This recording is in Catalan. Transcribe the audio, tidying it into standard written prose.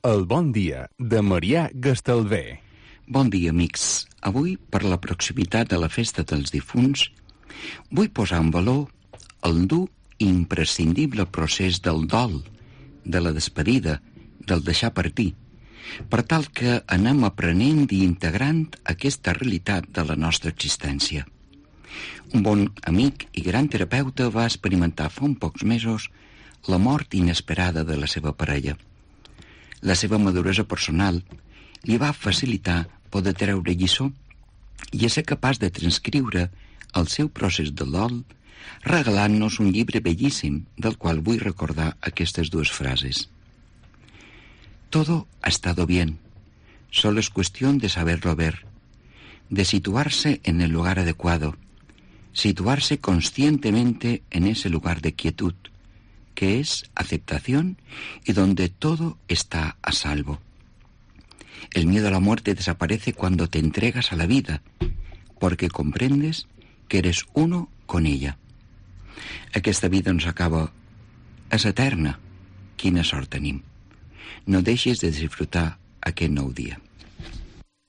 El bon dia de Marià Gastalver. Bon dia, amics. Avui, per la proximitat de la festa dels difunts, vull posar en valor el dur i imprescindible procés del dol, de la despedida, del deixar partir, per tal que anem aprenent i integrant aquesta realitat de la nostra existència. Un bon amic i gran terapeuta va experimentar fa uns pocs mesos la mort inesperada de la seva parella. La seva maduresa personal li va facilitar poder treure lliçó i ser capaç de transcriure el seu procés de dol, regalant-nos un llibre bellíssim del qual vull recordar aquestes dues frases. Todo ha estado bien, solo es cuestión de saberlo ver, de situarse en el lugar adecuado, situarse conscientemente en ese lugar de quietud, que es aceptación y donde todo está a salvo. El miedo a la muerte desaparece cuando te entregas a la vida, porque comprendes que eres uno con ella. Aquesta vida no s'acaba, és eterna. Quina sort tenim. No deixes de disfrutar aquest nou dia.